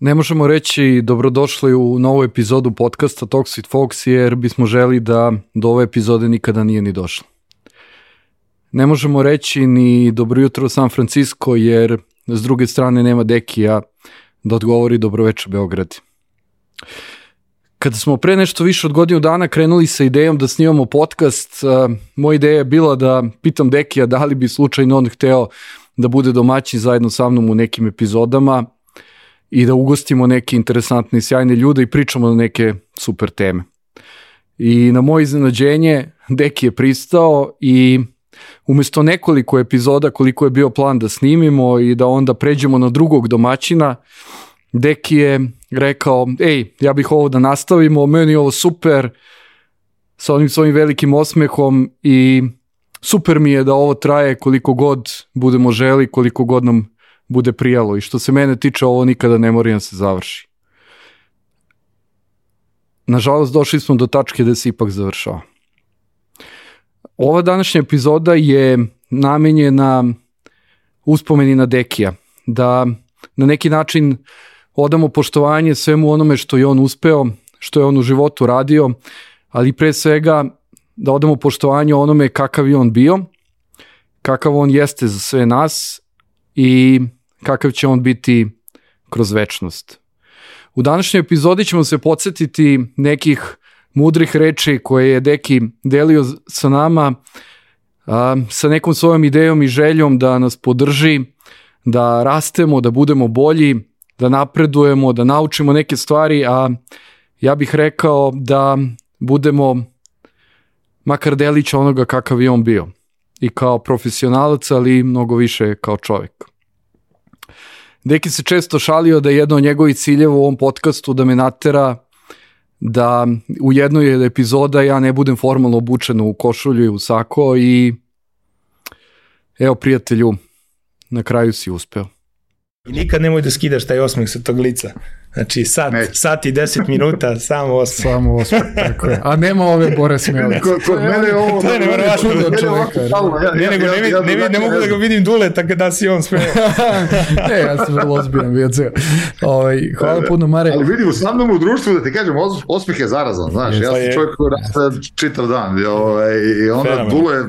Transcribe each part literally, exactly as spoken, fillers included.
Ne možemo reći dobrodošli u novu epizodu podcasta Talks with Folks, jer bismo želi da do ove epizode nikada nije ni došlo. Ne možemo reći ni dobro jutro San Francisco, jer s druge strane nema Dekija da odgovori dobro večer Beograd. Kada smo pre nešto više od godinu dana krenuli sa idejom da snimamo podcast, moja ideja je bila da pitam Dekija da li bi slučajno on hteo da bude domaćin zajedno sa mnom u nekim epizodama i da ugostimo neke interesantne i sjajne ljude i pričamo o neke super teme. I na moje iznenađenje Deki je pristao i umjesto nekoliko epizoda koliko je bio plan da snimimo i da onda pređemo na drugog domaćina, Deki je rekao, ej, ja bih ovo da nastavimo, meni je ovo super, sa onim svojim velikim osmehom i super mi je da ovo traje koliko god budemo želi, koliko god nam bude prijalo i što se mene tiče ovo nikada ne mora da se završi. Nažalost došli smo do tačke da se ipak završava. Ova današnja epizoda je namenjena uspomeni na Dekija, da na neki način odamo poštovanje svemu onome što je on uspeo, što je on u životu radio, ali pre svega da odamo poštovanje onome kakav je on bio, kakav on jeste za sve nas i kakav će on biti kroz večnost. U današnjoj epizodi ćemo se podsjetiti nekih mudrih reči koje je Deki delio sa nama, a, sa nekom svojom idejom i željom da nas podrži, da rastemo, da budemo bolji, da napredujemo, da naučimo neke stvari, a ja bih rekao da budemo makar delić onoga kakav je on bio. I kao profesionalac, ali mnogo više kao čovjek. Deki se često šalio da je jedno od njegovih ciljeva u ovom podcastu da me natera da u jednoj epizoda ja ne budem formalno obučen u košulju i u sako i evo prijatelju, na kraju si uspeo. I nikad nemoj da skidaš taj osmeh sa tog lica. Znači, sat, sat i deset minuta, samo osmeh. Samo osmeh, tako je. A nema ove Bore Smelice. Kod mene je ovo... To je nevjerovatno. Ne, nego ne, ne, ne, ne mogu da ga vidim dule, tako da si on smeo. Ne, ja sam vrlo ozbiljan bio ceo. Hvala puno, Mare. Ali vidim, sa mnom u društvu, da ti kažem, osmeh je zarazan, znaš. Ja sam čovjek koji rasta čitav dan. I onda dule...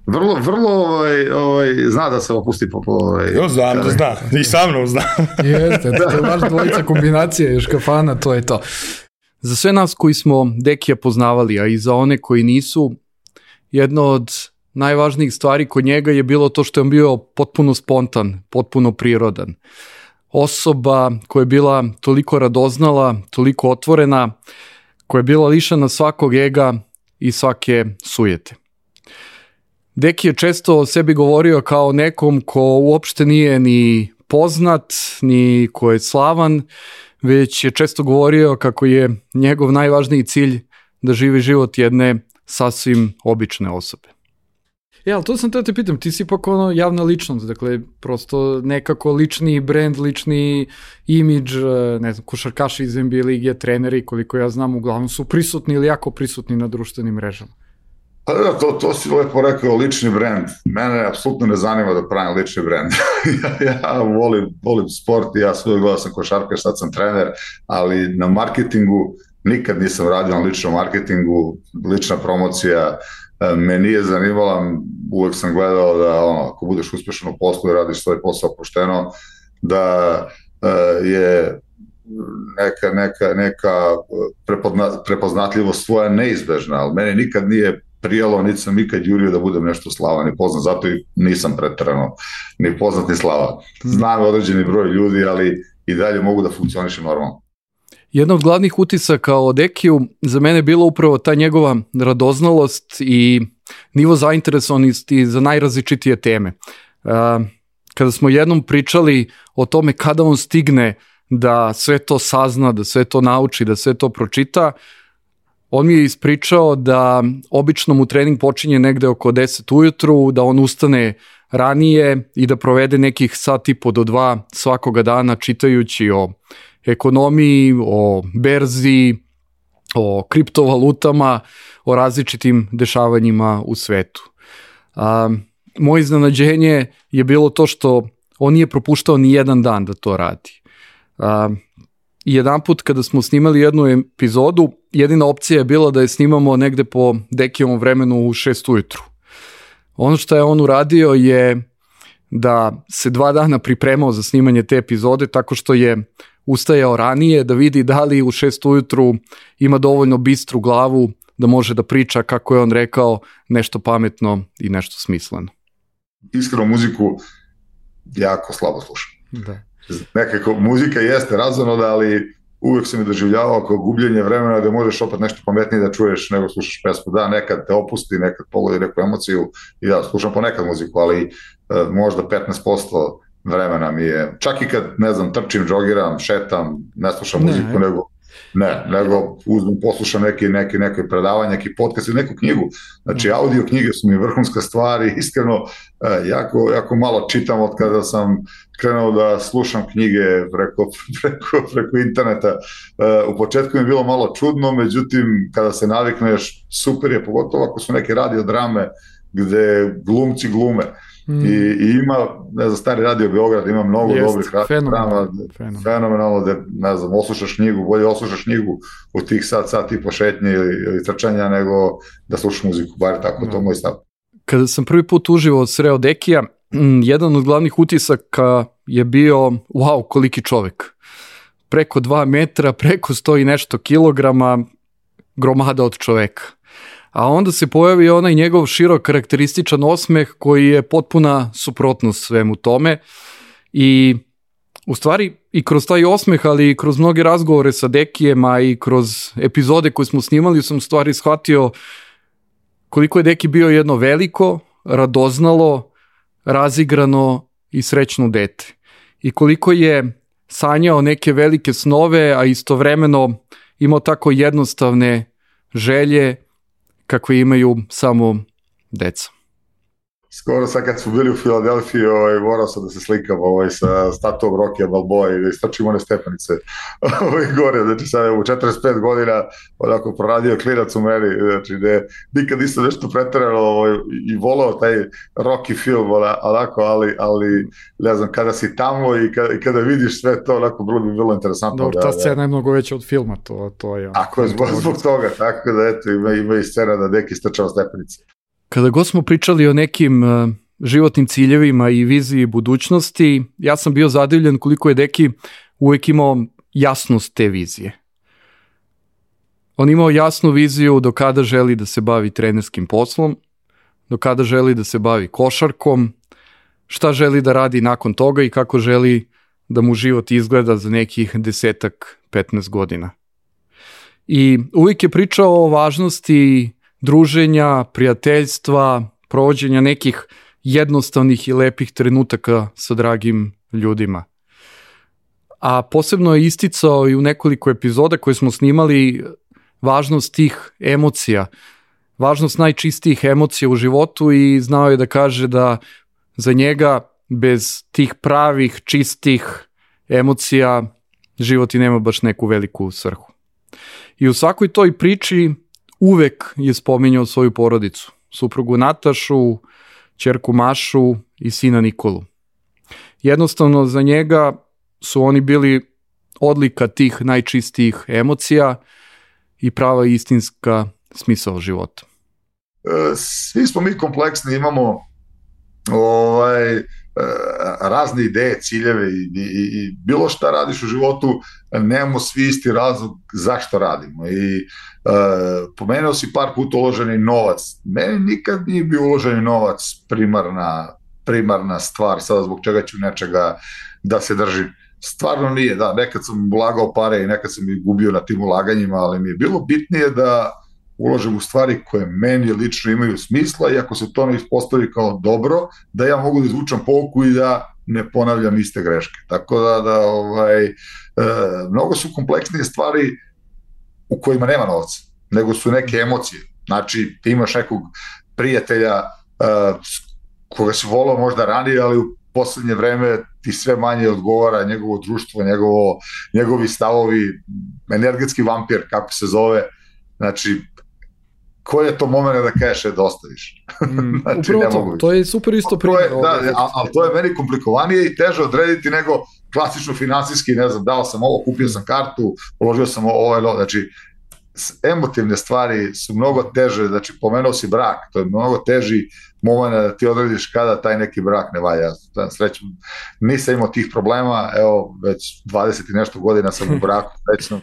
Vrlo, vrlo ovaj, ovaj, zna da se opusti po... Ovaj, jo, znam da zna. I sa mnom zna. Jeste, to je vaš dvojica kombinacije još kafana, to je to. Za sve nas koji smo Dekija poznavali, a i za one koji nisu, jedno od najvažnijih stvari kod njega je bilo to što je on bio potpuno spontan, potpuno prirodan. Osoba koja je bila toliko radoznala, toliko otvorena, koja je bila lišena svakog ega i svake sujete. Deki je često o sebi govorio kao nekom ko uopšte nije ni poznat, ni ko je slavan, već je često govorio kako je njegov najvažniji cilj da živi život jedne sasvim obične osobe. Ja, ali to sam te te pitam, ti si ipak ono javna ličnost, dakle, prosto nekako lični brand, lični imidž, ne znam, košarkaši iz N B A lige, treneri, koliko ja znam, uglavnom su prisutni ili jako prisutni na društvenim mrežama. Pa da, to, to si lepo rekao, lični brand. Mene apsolutno ne zanima da pravim lični brand. ja ja volim, volim sport i ja svoj gledao sam košarkaš, sad sam trener, ali na marketingu nikad nisam radio na ličnom marketingu, lična promocija me nije zanimala, uvek sam gledao da ono, ako budeš uspešan u poslu i radiš svoj posao pošteno, da uh, je neka, neka, neka prepozna, prepoznatljivost svoja neizbežna, ali meni nikad nije prijelo, niti sam ikad jurio da budem nešto slavan i poznat, zato i nisam preterano ni poznat ni slavan. Znam određeni broj ljudi, ali i dalje mogu da funkcionišem normalno. Jedna od glavnih utisaka o Dekiju za mene je bila upravo ta njegova radoznalost i nivo zainteresovanosti za najrazličitije teme. Kada smo jednom pričali o tome kada on stigne da sve to sazna, da sve to nauči, da sve to pročita, on mi je ispričao da obično mu trening počinje negde oko deset ujutru, da on ustane ranije i da provede nekih sat i po do dva svakoga dana čitajući o ekonomiji, o berzi, o kriptovalutama, o različitim dešavanjima u svetu. A, moje iznenađenje je bilo to što on nije propuštao ni jedan dan da to radi. A, jedan put kada smo snimali jednu epizodu, jedina opcija je bila da je snimamo negde po Dekijevom vremenu u šest ujutru. Ono što je on uradio je da se dva dana pripremao za snimanje te epizode tako što je ustajao ranije da vidi da li u šest ujutru ima dovoljno bistru glavu da može da priča, kako je on rekao, nešto pametno i nešto smisleno. Iskreno muziku jako slabo slušam. Da. Nekako muzika jeste razonoda, ali uvek sam je doživljavao kao gubljenje vremena da možeš opet nešto pametnije da čuješ nego slušaš pesmu. Da, nekad te opusti, nekad pogodi neku emociju i da, slušam ponekad muziku, ali uh, možda petnaest posto vremena mi je, čak i kad, ne znam, trčim, džogiram, šetam, ne slušam ne, muziku, nego ne, nego uzmem, poslušam neki, neki, neki predavanje, neki podcast ili neku knjigu. Znači, audio knjige su mi vrhunska stvar i iskreno uh, jako, jako malo čitam od kada sam krenuo da slušam knjige preko, preko, preko interneta. Uh, u početku mi je bilo malo čudno, međutim, kada se navikneš, super je, pogotovo ako su neke radiodrame gde glumci glume. Mm. I, I ima, ne znam, stari radio Beograd, ima mnogo Jest, dobrih radiodrama, fenomenalno, fenomenalno da, ne znam, oslušaš knjigu, bolje oslušaš knjigu u tih sat, sat i po šetnje ili, ili trčanja, nego da slušaš muziku, bar tako, no. To je moj stav. Kada sam prvi put uživo sreo Dekija, jedan od glavnih utisaka je bio, wow, koliki čovek. Preko dva metra, preko sto i nešto kilograma, gromada od čoveka. A onda se pojavi onaj njegov širok karakterističan osmeh koji je potpuna suprotnost svemu tome. I u stvari i kroz taj osmeh, ali i kroz mnoge razgovore sa Dekijem, a i kroz epizode koje smo snimali, sam u stvari shvatio koliko je Deki bio jedno veliko, radoznalo, razigrano i srećno dete. I koliko je sanjao neke velike snove, a istovremeno imao tako jednostavne želje kakve imaju samo deca. Skoro sad kad smo bili u Filadelfiji, ovaj, morao sam da se slikam ovaj, sa statuom Rockija Balboa i da istračim one stepenice ovaj, gore. Znači sad u četrdeset pet godina onako proradio klinac u meni, znači da nikad nisam nešto preterano ovaj, i volao taj Rocky film, onako, ali, ali ne znam, kada si tamo i kada, i kada vidiš sve to, onako bilo bi bilo interesantno. Dobro, ta scena je mnogo veća od filma, to, to je... Ako je zbog, zbog toga, tako da eto, ima, ima i scena da Deki strčava stepenice. Kada god smo pričali o nekim uh, životnim ciljevima i viziji budućnosti, ja sam bio zadivljen koliko je Deki uvek imao jasnost te vizije. On imao jasnu viziju do kada želi da se bavi trenerskim poslom, do kada želi da se bavi košarkom, šta želi da radi nakon toga i kako želi da mu život izgleda za nekih desetak, petnaest godina. I uvijek je pričao o važnosti druženja, prijateljstva, provođenja nekih jednostavnih i lepih trenutaka sa dragim ljudima. A posebno je isticao i u nekoliko epizoda koje smo snimali važnost tih emocija, važnost najčistijih emocija u životu i znao je da kaže da za njega bez tih pravih, čistih emocija život i nema baš neku veliku svrhu. I u svakoj toj priči uvek je spominjao svoju porodicu, suprugu Natašu, ćerku Mašu i sina Nikolu. Jednostavno za njega su oni bili odlika tih najčistijih emocija i prava istinska smisao života. Svi smo mi kompleksni, imamo ovaj, razne ideje, ciljeve i, i, i bilo šta radiš u životu, nemamo svi isti razlog zašto radimo. I uh, pomenuo si par puta uloženi novac. Meni nikad nije bio uloženi novac primarna, primarna stvar, sada zbog čega ću nečega da se držim. Stvarno nije, da, nekad sam ulagao pare i nekad sam ih gubio na tim ulaganjima, ali mi je bilo bitnije da uložim u stvari koje meni lično imaju smisla i ako se to ne ispostavi kao dobro, da ja mogu da izvučam pouku i da ne ponavljam iste greške. Tako da, da ovaj, e, mnogo su kompleksnije stvari u kojima nema novca, nego su neke emocije. Znači, ti imaš nekog prijatelja e, koga si volao možda ranije, ali u poslednje vreme ti sve manje odgovara njegovo društvo, njegovo, njegovi stavovi, energetski vampir, kako se zove. Znači, koji je to moment da kažeš da ostaviš? Mm, znači, upravo to, to je super isto primjer. Da, ali to je meni komplikovanije i teže odrediti nego klasično finansijski, ne znam, dao sam ovo, kupio sam kartu, uložio sam ovo, ovo, znači, emotivne stvari su mnogo teže, znači pomenuo si brak, to je mnogo teži moment da ti odrediš kada taj neki brak ne valja. Srećom, nisam imao tih problema, evo već dvadeset i nešto godina sam u braku, srećno.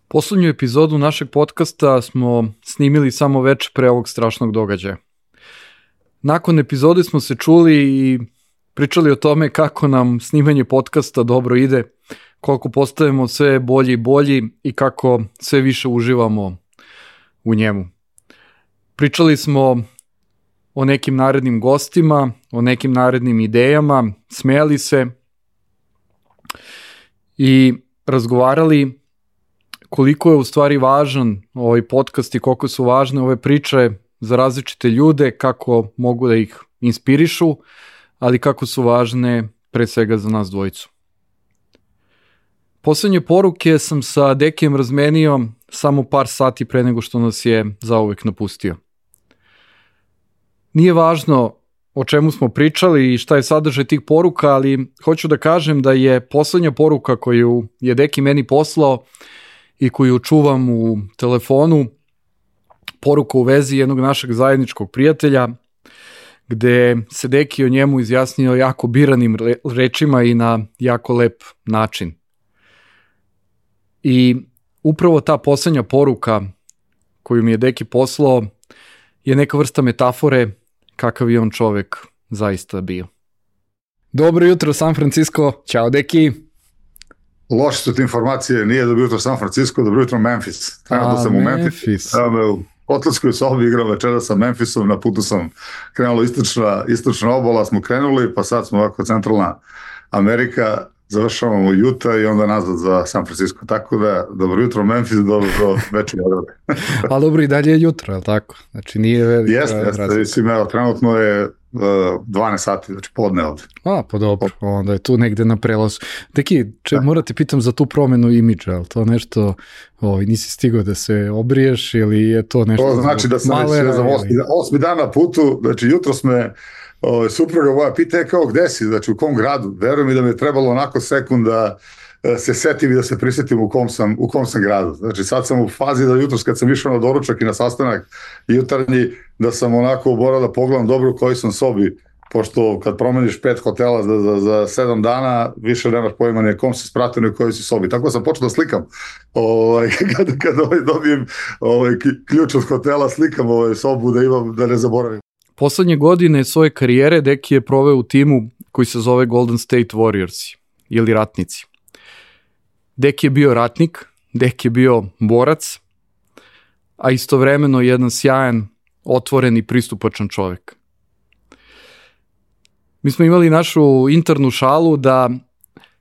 Poslednju epizodu našeg podcasta smo snimili samo veče pre ovog strašnog događaja. Nakon epizode smo se čuli i pričali o tome kako nam snimanje podcasta dobro ide, koliko postajemo sve bolji i bolji i kako sve više uživamo u njemu. Pričali smo o nekim narednim gostima, o nekim narednim idejama, smejali se i razgovarali koliko je u stvari važan ovaj podcast i koliko su važne ove priče za različite ljude, kako mogu da ih inspirišu, ali kako su važne pre svega za nas dvojicu. Poslednje poruke sam sa Dekijem razmenio samo par sati pre nego što nas je zauvek napustio. Nije važno o čemu smo pričali i šta je sadržaj tih poruka, ali hoću da kažem da je poslednja poruka koju je Deki meni poslao i koju čuvam u telefonu, poruka u vezi jednog našeg zajedničkog prijatelja, gde se Deki o njemu izjasnio jako biranim rečima i na jako lep način. I upravo ta poslednja poruka koju mi je Deki poslao je neka vrsta metafore kakav je on čovek zaista bio. Dobro jutro San Francisco, ćao Deki. Loše su te informacije, nije dobro jutro San Francisco, dobro jutro Memphis. Trenutno sam u Memphis. U hotelskoj sobi igram večera sa Memphisom, na putu sam krenulo istočna, istočna obala, smo krenuli, pa sad smo ovako centralna Amerika, završavamo u Utah i onda nazad za San Francisco. Tako da, dobro jutro Memphis, dobro večer Beograd. A dobro, i dalje je jutro, je li tako? Znači nije velika jeste, razlika. Jeste, mislim, evo, trenutno je uh, dvanaest sati, znači podne ovde. A, pa dobro, onda je tu negde na prelazu. Deki, če, moram te pitam za tu promenu imidža, ali to nešto, ovaj, nisi stigao da se obriješ ili je to nešto... To znači da sam malera, već za osmi, osmi dan na putu, znači jutro sme O, supruga moja pita je kao gde si, znači u kom gradu, verujem mi da mi je trebalo onako sekund da se setim i da se prisetim u kom sam, u kom sam gradu. Znači sad sam u fazi da jutros kad sam išao na doručak i na sastanak jutarnji, da sam onako morao da pogledam dobro u kojoj sam sobi, pošto kad promeniš pet hotela za, za, za sedam dana, više nemaš pojma ni kom se spratio ni u kojoj si sobi. Tako sam počeo da slikam. Ovaj, kad kad ovaj, dobijem ovaj, ključ od hotela, slikam ovaj, sobu da imam, da ne zaboravim. Poslednje godine svoje karijere Deki je proveo u timu koji se zove Golden State Warriors ili ratnici. Deki je bio ratnik, Deki je bio borac, a istovremeno jedan sjajan, otvoren i pristupačan čovek. Mi smo imali našu internu šalu da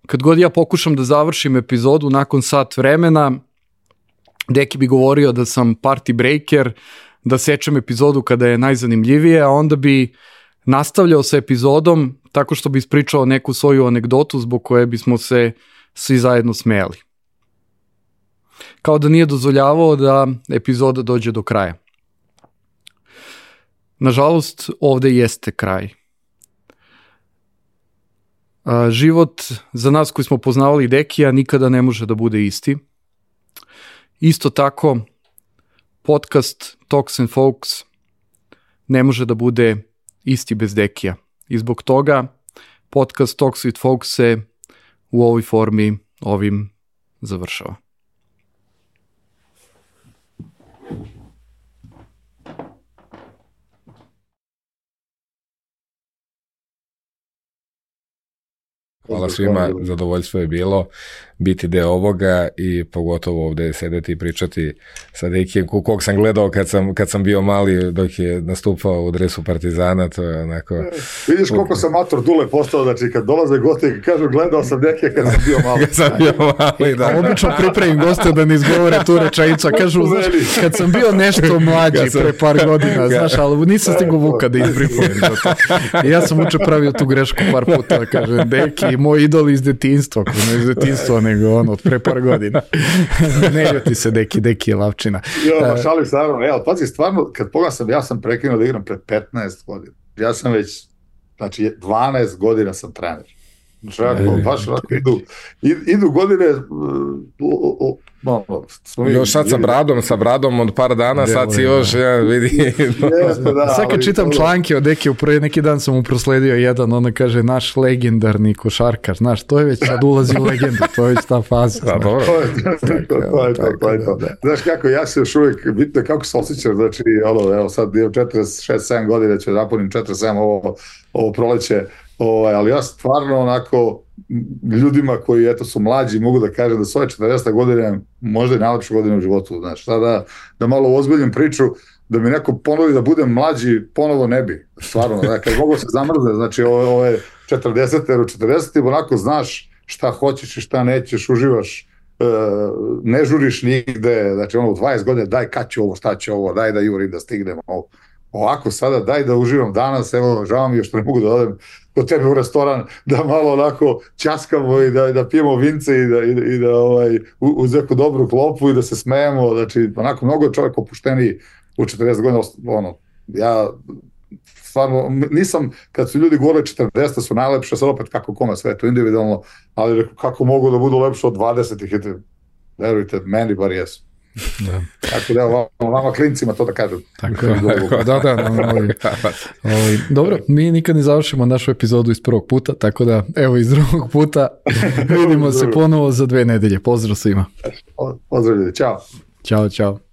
kad god ja pokušam da završim epizodu nakon sat vremena, Deki bi govorio da sam party breaker, da sečem epizodu kada je najzanimljivije, a onda bi nastavljao sa epizodom tako što bi ispričao neku svoju anegdotu zbog koje bismo se svi zajedno smejali. Kao da nije dozvoljavao da epizoda dođe do kraja. Nažalost, ovde jeste kraj. Život za nas koji smo poznavali Dekija nikada ne može da bude isti. Isto tako, podcast Talks and Folks ne može da bude isti bez Dekija. I zbog toga podcast Talks with Folks se u ovoj formi ovim završava. Hvala svima, zadovoljstvo je bilo biti deo ovoga i pogotovo ovde sedeti i pričati sa Dekijem, kog sam gledao kad sam, kad sam bio mali dok je nastupao u dresu Partizana, to je onako... Vidiš koliko sam mator Dule postao, znači kad dolaze gosti i kažu gledao sam Dekija kad sam bio mali. Kad sam bio mali, da. A obično pripremim goste da ne izgovore tu rečenicu, kažu, znaš, kad sam bio nešto mlađi sam... pre par godina, znaš, ali nisam stigu Vuka da izbrifujem za to. I ja sam uče pravio tu grešku par puta, kažem, Deki, moj idol iz detinjstva, ko ne iz detinjstva, nego ono, od pre par godina. Ne ljuti se Deki, Deki je lavčina. Jo, šalim se, naravno, evo, pazi, stvarno, kad pogledam sam, ja sam prekinuo da igram pre petnaest godina. Ja sam već, znači, dvanaest godina sam trener. Žako, baš onako idu, idu godine, uh, malo, još sad sa bradom, sa bradom od par dana, de, sad si još, ja, vidi. Jeste, da, sad kad čitam članke od Dekija, prvi neki dan sam mu prosledio jedan, ona kaže, naš legendarni košarkar, znaš, to je već sad ulazi u legendu, to je već ta faza. Da, dobro. To je to, to je to. Znaš kako, ja se još uvijek, bitno kako se osjećam, znači, ono, evo sad, četrdeset šest sedam godina ću napunim četrdeset sedam ovo, ovo proleće, ovaj, ali ja stvarno onako ljudima koji eto su mlađi mogu da kažem da su ove četrdesete godine možda i najlepše godine u životu, znaš, da, da malo ozbiljim priču, da mi neko ponudi da budem mlađi, ponovo ne bi, stvarno, da, kad mogu se zamrzne, znači ove, ove četrdesete, jer u četrdesetim onako znaš šta hoćeš i šta nećeš, uživaš, e, ne žuriš nigde, znači ono u dvadeset godina daj kad ću ovo, šta ću ovo, daj da jurim da stignem ovo. Ovako sada daj da uživam danas, evo žao mi je što ne mogu da odem kod tebe u restoran, da malo onako ćaskamo i da, da pijemo vince i da, i da, i da ovaj, uz neku dobru klopu i da se smejemo, znači onako mnogo je čovjek opušteniji u četrdeset godina, ono, ja stvarno nisam, kad su ljudi govorili četrdeset su najlepše, sad opet kako kome sve to individualno, ali kako mogu da budu lepše od dvadesetih, verujte, meni bar jesu. Da. Tako da vama, vama klincima to da kažem. Tako je, da, da, da, ovaj, ovaj, dobro, mi nikad ne završimo našu epizodu iz prvog puta, tako da evo iz drugog puta vidimo se ponovo za dve nedelje. Pozdrav svima. Pozdrav ljudi, čao. Ćao, čao.